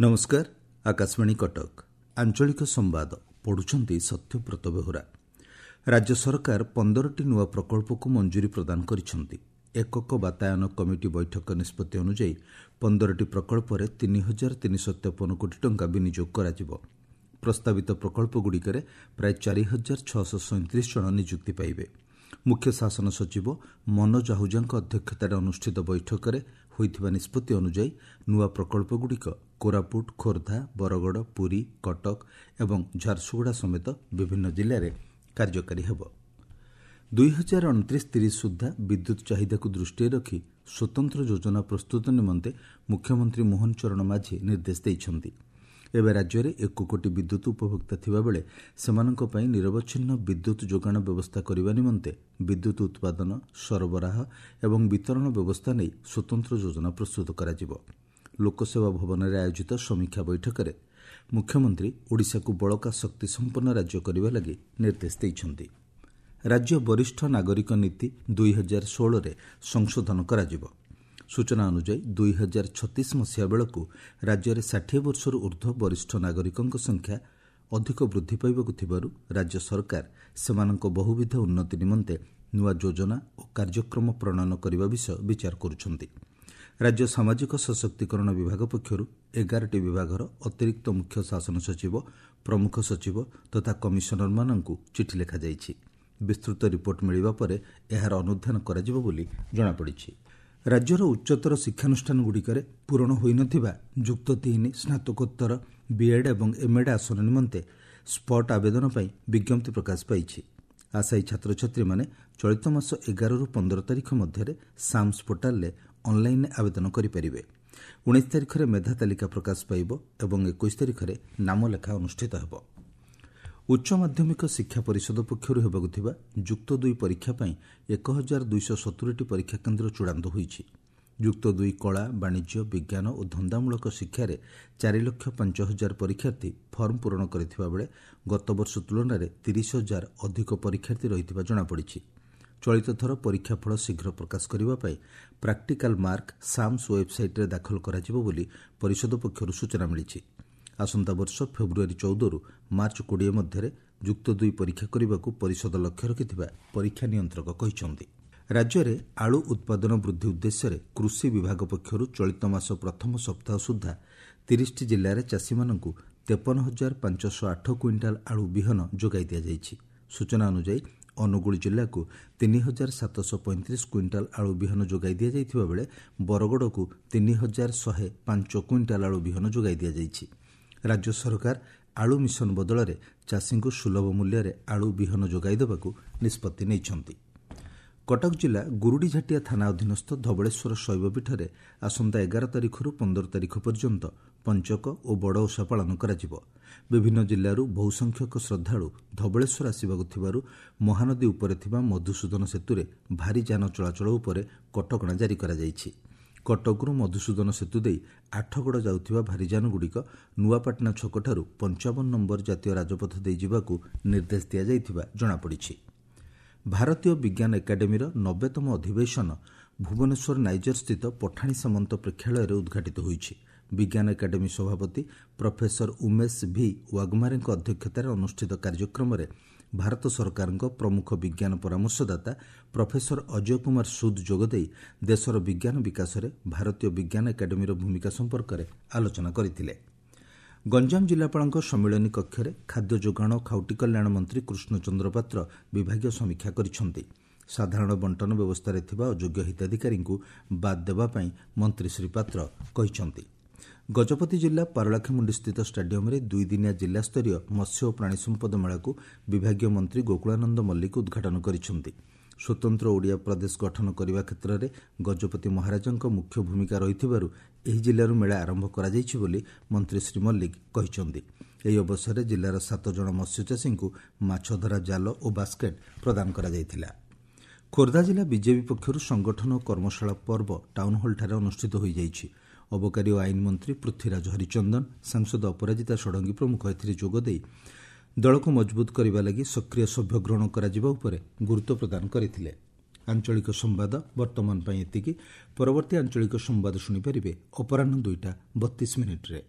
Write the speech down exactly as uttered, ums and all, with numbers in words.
ନମସ୍କାର, ଆକାଶବାଣୀ କଟକ। ଆଞ୍ଚଳିକ ସମ୍ବାଦ ପଢୁଛନ୍ତି ସତ୍ୟବ୍ରତ ବେହୁରା। ରାଜ୍ୟ ସରକାର ପନ୍ଦରଟି ନୂଆ ପ୍ରକଳ୍ପକୁ ମଞ୍ଜୁରୀ ପ୍ରଦାନ କରିଛନ୍ତି। ଏକକ ବାତାୟନ କମିଟି ବୈଠକ ନିଷ୍ପତ୍ତି ଅନୁଯାୟୀ ପନ୍ଦରଟି ପ୍ରକଳ୍ପରେ ତିନି ହଜାର ତିନିଶହ ତେପନ କୋଟି ଟଙ୍କା ବିନିଯୋଗ କରାଯିବ। ପ୍ରସ୍ତାବିତ ପ୍ରକଳ୍ପଗୁଡ଼ିକରେ ପ୍ରାୟ ଚାରି ହଜାର ଛଅଶହ ସଇଁତିରିଶ ଜଣ ନିଯୁକ୍ତି ପାଇବେ। ମୁଖ୍ୟ ଶାସନ ସଚିବ ମନୋଜ ଆହୁଜାଙ୍କ ଅଧ୍ୟକ୍ଷତାରେ ଅନୁଷ୍ଠିତ ବୈଠକରେ ହୋଇଥିବା ନିଷ୍ପତ୍ତି ଅନୁଯାୟୀ ନୂଆ ପ୍ରକଳ୍ପଗୁଡ଼ିକ କୋରାପୁଟ, ଖୋର୍ଦ୍ଧା, ବରଗଡ଼, ପୁରୀ, କଟକ ଏବଂ ଝାରସୁଗୁଡ଼ା ସମେତ ବିଭିନ୍ନ ଜିଲ୍ଲାରେ କାର୍ଯ୍ୟକାରୀ ହେବ। ଦୁଇ ହଜାର ଅଣତିରିଶ ତିରିଶ ସୁଦ୍ଧା ବିଦ୍ୟୁତ୍ ଚାହିଦାକୁ ଦୃଷ୍ଟିରେ ରଖି ସ୍ୱତନ୍ତ୍ର ଯୋଜନା ପ୍ରସ୍ତୁତ ନିମନ୍ତେ ମୁଖ୍ୟମନ୍ତ୍ରୀ ମୋହନ ଚରଣ ମାଝୀ ନିର୍ଦ୍ଦେଶ ଦେଇଛନ୍ତି। ଏବେ ରାଜ୍ୟରେ ଏକ କୋଟି ବିଦ୍ୟୁତ୍ ଉପଭୋକ୍ତା ଥିବାବେଳେ ସେମାନଙ୍କ ପାଇଁ ନିରବଚ୍ଛିନ୍ନ ବିଦ୍ୟୁତ୍ ଯୋଗାଣ ବ୍ୟବସ୍ଥା କରିବା ନିମନ୍ତେ ବିଦ୍ୟୁତ୍ ଉତ୍ପାଦନ, ସରବରାହ ଏବଂ ବିତରଣ ବ୍ୟବସ୍ଥା ନେଇ ସ୍ୱତନ୍ତ୍ର ଯୋଜନା ପ୍ରସ୍ତୁତ କରାଯିବ। ଲୋକସେବା ଭବନରେ ଆୟୋଜିତ ସମୀକ୍ଷା ବୈଠକରେ ମୁଖ୍ୟମନ୍ତ୍ରୀ ଓଡ଼ିଶାକୁ ବଳକା ଶକ୍ତି ସମ୍ପନ୍ନ ରାଜ୍ୟ କରିବା ଲାଗି ନିର୍ଦ୍ଦେଶ ଦେଇଛନ୍ତି। ରାଜ୍ୟ ବରିଷ୍ଠ ନାଗରିକ ନୀତି ଦୁଇ ହଜାର ଷୋହଳରେ ସଂଶୋଧନ କରାଯିବ। ସୂଚନା ଅନୁଯାୟୀ ଦୁଇ ହଜାର ଛତିଶ ମସିହା ବେଳକୁ ରାଜ୍ୟରେ ଷାଠିଏ ବର୍ଷରୁ ଉର୍ଦ୍ଧ୍ୱ ବରିଷ୍ଠ ନାଗରିକଙ୍କ ସଂଖ୍ୟା ଅଧିକ ବୃଦ୍ଧି ପାଇବାକୁ ଥିବାରୁ ରାଜ୍ୟ ସରକାର ସେମାନଙ୍କ ବହୁବିଧ ଉନ୍ନତି ନିମନ୍ତେ ନୂଆ ଯୋଜନା ଓ କାର୍ଯ୍ୟକ୍ରମ ପ୍ରଣୟନ କରିବା ବିଷୟ ବିଚାର କରୁଛନ୍ତି। ରାଜ୍ୟ ସାମାଜିକ ସଶକ୍ତିକରଣ ବିଭାଗ ପକ୍ଷରୁ ଏଗାରଟି ବିଭାଗର ଅତିରିକ୍ତ ମୁଖ୍ୟ ଶାସନ ସଚିବ, ପ୍ରମୁଖ ସଚିବ ତଥା କମିଶନରମାନଙ୍କୁ ଚିଠି ଲେଖାଯାଇଛି। ବିସ୍ତୃତ ରିପୋର୍ଟ ମିଳିବା ପରେ ଏହାର ଅନୁଧ୍ୟାନ କରାଯିବ ବୋଲି ଜଣାପଡ଼ିଛି। ରାଜ୍ୟର ଉଚ୍ଚତର ଶିକ୍ଷାନୁଷ୍ଠାନଗୁଡ଼ିକରେ ପୂରଣ ହୋଇନଥିବା ଯୁକ୍ତ ତିନି, ସ୍ନାତକୋତ୍ତର, ବିଏଡ୍ ଏବଂ ଏମ୍ଏଡ୍ ଆସନ ନିମନ୍ତେ ସ୍ପଟ୍ ଆବେଦନ ପାଇଁ ବିଜ୍ଞପ୍ତି ପ୍ରକାଶ ପାଇଛି। ଆଶାୟୀ ଛାତ୍ରଛାତ୍ରୀମାନେ ଚଳିତ ମାସ ଏଗାରରୁ ପନ୍ଦର ତାରିଖ ମଧ୍ୟରେ ସାମ୍ସ ପୋର୍ଟାଲରେ ଅନ୍ଲାଇନ୍ରେ ଆବେଦନ କରିପାରିବେ। ଉଣେଇଶ ତାରିଖରେ ମେଧା ତାଲିକା ପ୍ରକାଶ ପାଇବ ଏବଂ ଏକୋଇଶ ତାରିଖରେ ନାମଲେଖା ଅନୁଷ୍ଠିତ ହେବ। ଉଚ୍ଚ ମାଧ୍ୟମିକ ଶିକ୍ଷା ପରିଷଦ ପକ୍ଷରୁ ହେବାକୁ ଥିବା ଯୁକ୍ତ ଦୁଇ ପରୀକ୍ଷା ପାଇଁ ଏକ ହଜାର ଦୁଇଶହ ସତୁରିଟି ପରୀକ୍ଷା କେନ୍ଦ୍ର ଚୂଡ଼ାନ୍ତ ହୋଇଛି। ଯୁକ୍ତ ଦୁଇ କଳା, ବାଣିଜ୍ୟ, ବିଜ୍ଞାନ ଓ ଧନ୍ଦାମୂଳକ ଶିକ୍ଷାରେ ଚାରି ଲକ୍ଷ ପାଞ୍ଚ ହଜାର ପରୀକ୍ଷାର୍ଥୀ ଫର୍ମ ପୂରଣ କରିଥିବା ବେଳେ ଗତବର୍ଷ ତୁଳନାରେ ତିରିଶ ହଜାର ଅଧିକ ପରୀକ୍ଷାର୍ଥୀ ରହିଥିବା ଜଣାପଡ଼ିଛି। ଚଳିତ ଥର ପରୀକ୍ଷା ଫଳ ଶୀଘ୍ର ପ୍ରକାଶ କରିବା ପାଇଁ ପ୍ରାକ୍ଟିକାଲ ମାର୍କ ସାମ୍ସ ୱେବ୍ସାଇଟ୍ରେ ଦାଖଲ କରାଯିବ ବୋଲି ପରିଷଦ ପକ୍ଷରୁ ସୂଚନା ମିଳିଛି। ଆସନ୍ତା ବର୍ଷ ଫେବୃଆରୀ ଚଉଦରୁ ମାର୍ଚ୍ଚ କୋଡ଼ିଏ ମଧ୍ୟରେ ଯୁକ୍ତ ଦୁଇ ପରୀକ୍ଷା କରିବାକୁ ପରିଷଦ ଲକ୍ଷ୍ୟ ରଖିଥିବା ପରୀକ୍ଷା ନିୟନ୍ତ୍ରକ କହିଛନ୍ତି। ରାଜ୍ୟରେ ଆଳୁ ଉତ୍ପାଦନ ବୃଦ୍ଧି ଉଦ୍ଦେଶ୍ୟରେ କୃଷି ବିଭାଗ ପକ୍ଷରୁ ଚଳିତ ମାସ ପ୍ରଥମ ସପ୍ତାହ ସୁଦ୍ଧା ତିରିଶଟି ଜିଲ୍ଲାରେ ଚାଷୀମାନଙ୍କୁ ତେପନ ହଜାର ପାଞ୍ଚଶହ ଆଠ କୁଇଣ୍ଟାଲ ଆଳୁ ବିହନ ଯୋଗାଇ ଦିଆଯାଇଛି। ସୂଚନା ଅନୁଯାୟୀ ଅନୁଗୁଳ ଜିଲ୍ଲାକୁ ତିନି ହଜାର ସାତଶହ ପଇଁତିରିଶ କୁଇଣ୍ଟାଲ ଆଳୁ ବିହନ ଯୋଗାଇ ଦିଆଯାଇଥିବା ବେଳେ ବରଗଡ଼କୁ ତିନି ହଜାର ଶହେ ପାଞ୍ଚ କୁଇଣ୍ଟାଲ ଆଳୁ ବିହନ ଯୋଗାଇ ଦିଆଯାଇଛି। ରାଜ୍ୟ ସରକାର ଆଳୁ ମିଶନ ବଦଳରେ ଚାଷୀଙ୍କୁ ସୁଲଭ ମୂଲ୍ୟରେ ଆଳୁ ବିହନ ଯୋଗାଇ ଦେବାକୁ ନିଷ୍ପତ୍ତି ନେଇଛନ୍ତି। କଟକ ଜିଲ୍ଲା ଗୁରୁଡ଼ିଝାଟିଆ ଥାନା ଅଧୀନସ୍ଥ ଧବଳେଶ୍ୱର ଶୈବପୀଠରେ ଆସନ୍ତା ଏଗାର ତାରିଖରୁ ପନ୍ଦର ତାରିଖ ପର୍ଯ୍ୟନ୍ତ ପଞ୍ଚକ ଓ ବଡ଼ ଓଷା ପାଳନ କରାଯିବ। ବିଭିନ୍ନ ଜିଲ୍ଲାରୁ ବହୁସଂଖ୍ୟକ ଶ୍ରଦ୍ଧାଳୁ ଧବଳେଶ୍ୱର ଆସିବାକୁ ଥିବାରୁ ମହାନଦୀ ଉପରେ ଥିବା ମଧୁସୂଦନ ସେତୁରେ ଭାରୀ ଯାନ ଚଳାଚଳ ଉପରେ କଟକଣା ଜାରି କରାଯାଇଛି। କଟକରୁ ମଧୁସୂଦନ ସେତୁ ଦେଇ ଆଠଗଡ଼ ଯାଉଥିବା ଭାରୀଯାନଗୁଡ଼ିକ ନୂଆପାଟଣା ଛକଠାରୁ ପଞ୍ଚାବନ ନମ୍ବର ଜାତୀୟ ରାଜପଥ ଦେଇ ଯିବାକୁ ନିର୍ଦ୍ଦେଶ ଦିଆଯାଇଥିବା ଜଣାପଡ଼ିଛି। ଭାରତୀୟ ବିଜ୍ଞାନ ଏକାଡେମୀର ନବେତମ ଅଧିବେଶନ ଭୁବନେଶ୍ୱର ନାଇଜରସ୍ଥିତ ପଠାଣି ସାମନ୍ତ ପ୍ରେକ୍ଷାଳୟରେ ଉଦ୍ଘାଟିତ ହୋଇଛି। ବିଜ୍ଞାନ ଏକାଡେମୀ ସଭାପତି ପ୍ରଫେସର ଉମେଶ ଭି ୱାଘମାରେଙ୍କ ଅଧ୍ୟକ୍ଷତାରେ ଅନୁଷ୍ଠିତ କାର୍ଯ୍ୟକ୍ରମରେ ଭାରତ ସରକାରଙ୍କ ପ୍ରମୁଖ ବିଜ୍ଞାନ ପରାମର୍ଶଦାତା ପ୍ରଫେସର ଅଜୟ କୁମାର ସୁଦ ଯୋଗଦେଇ ଦେଶର ବିଜ୍ଞାନ ବିକାଶରେ ଭାରତୀୟ ବିଜ୍ଞାନ ଏକାଡେମୀର ଭୂମିକା ସମ୍ପର୍କରେ ଆଲୋଚନା କରିଥିଲେ। ଗଞ୍ଜାମ ଜିଲ୍ଲାପାଳଙ୍କ ସମ୍ମିଳନୀ କକ୍ଷରେ ଖାଦ୍ୟ ଯୋଗାଣ ଓ ଖାଉଟି କଲ୍ୟାଣ ମନ୍ତ୍ରୀ କୃଷ୍ଣଚନ୍ଦ୍ର ପାତ୍ର ବିଭାଗୀୟ ସମୀକ୍ଷା କରିଛନ୍ତି। ସାଧାରଣ ବଣ୍ଟନ ବ୍ୟବସ୍ଥାରେ ଥିବା ଅଯୋଗ୍ୟ ହିତାଧିକାରୀଙ୍କୁ ବାଦ୍ ଦେବା ପାଇଁ ମନ୍ତ୍ରୀ ଶ୍ରୀ ପାତ୍ର କହିଛନ୍ତି। ଗଜପତି ଜିଲ୍ଲା ପାରଳାଖେମୁଣ୍ଡିସ୍ଥିତ ଷ୍ଟାଡିୟମରେ ଦୁଇଦିନିଆ ଜିଲ୍ଲାସ୍ତରୀୟ ମତ୍ସ୍ୟ ଓ ପ୍ରାଣୀ ସମ୍ପଦ ମେଳାକୁ ବିଭାଗୀୟ ମନ୍ତ୍ରୀ ଗୋକୁଳାନନ୍ଦ ମଲ୍ଲିକ ଉଦ୍ଘାଟନ କରିଛନ୍ତି। ସ୍ୱତନ୍ତ୍ର ଓଡ଼ିଆ ପ୍ରଦେଶ ଗଠନ କରିବା କ୍ଷେତ୍ରରେ ଗଜପତି ମହାରାଜାଙ୍କ ମୁଖ୍ୟ ଭୂମିକା ରହିଥିବାରୁ ଏହି ଜିଲ୍ଲାରୁ ମେଳା ଆରମ୍ଭ କରାଯାଇଛି ବୋଲି ମନ୍ତ୍ରୀ ଶ୍ରୀ ମଲ୍ଲିକ କହିଛନ୍ତି। ଏହି ଅବସରରେ ଜିଲ୍ଲାର ସାତ ଜଣ ମତ୍ସ୍ୟଚାଷୀଙ୍କୁ ମାଛଧରା ଜାଲ ଓ ବାସ୍କେଟ୍ ପ୍ରଦାନ କରାଯାଇଥିଲା। ଖୋର୍ଦ୍ଧା ଜିଲ୍ଲା ବିଜେପି ପକ୍ଷରୁ ସଂଗଠନ ଓ କର୍ମଶାଳା ପର୍ବ ଟାଉନହଲ୍ଠାରେ ଅନୁଷ୍ଠିତ ହୋଇଯାଇଛି। ଅବକାରୀ ଓ ଆଇନ ମନ୍ତ୍ରୀ ପୃଥ୍ୱୀରାଜ ହରିଚନ୍ଦନ, ସାଂସଦ ଅପରାଜିତା ଷଡ଼ଙ୍ଗୀ ପ୍ରମୁଖ ଏଥିରେ ଯୋଗଦେଇ ଦଳକୁ ମଜବୁତ କରିବା ଲାଗି ସକ୍ରିୟ ସଭ୍ୟ ଗ୍ରହଣ କରାଯିବା ଉପରେ ଗୁରୁତ୍ୱ ପ୍ରଦାନ କରିଥିଲେ। ଆଞ୍ଚଳିକ ସମ୍ବାଦ ବର୍ତ୍ତମାନ ପାଇଁ ଏତିକି। ପରବର୍ତ୍ତୀ ଆଞ୍ଚଳିକ ସମ୍ବାଦ ଶୁଣିପାରିବେ ଅପରାହ୍ନ ଦୁଇଟା ବତିଶ ମିନିଟ୍ରେ।